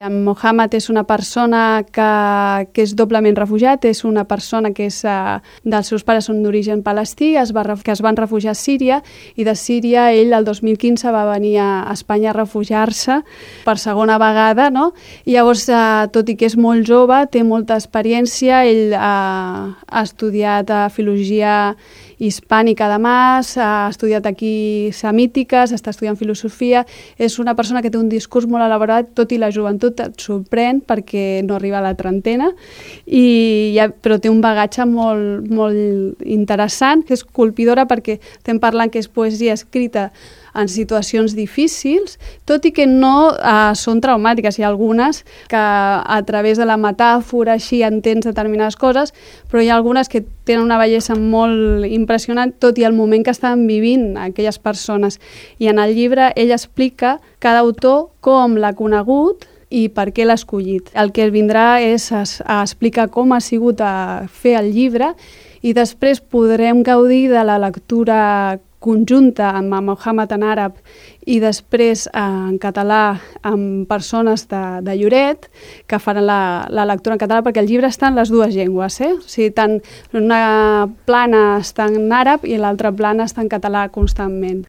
Mohammed és una persona que és doblement refugiat, és una persona que dels seus pares són d'origen palestí, que es van refugiar a Síria, i de Síria ell el 2015 va venir a Espanya a refugiar-se per segona vegada, no? I llavors, tot i que és molt jove, té molta experiència, ell ha estudiat filologia hispànica de Mas, ha estudiat aquí semítiques, està estudiant filosofia, és una persona que té un discurs molt elaborat, tot i la joventut et sorprèn perquè no arriba a la trentena, però té un bagatge molt, molt interessant, és colpidora perquè estem parlant que és poesia escrita en situacions difícils, tot i que no són traumàtiques. Hi ha algunes que a través de la metàfora així entens determinades coses, però hi ha algunes que tenen una bellesa molt impressionant, tot i el moment que estan vivint aquelles persones. I en el llibre ell explica cada autor com l'ha conegut i per què l'ha escollit. El que vindrà és a explicar com ha sigut a fer el llibre i després podrem gaudir de la lectura conjunta amb Mohammed en àrab i després en català amb persones de Lloret que faran la lectura en català, perquè el llibre està en les dues llengües, O sigui, tant una plana està en àrab i l'altra plana està en català constantment.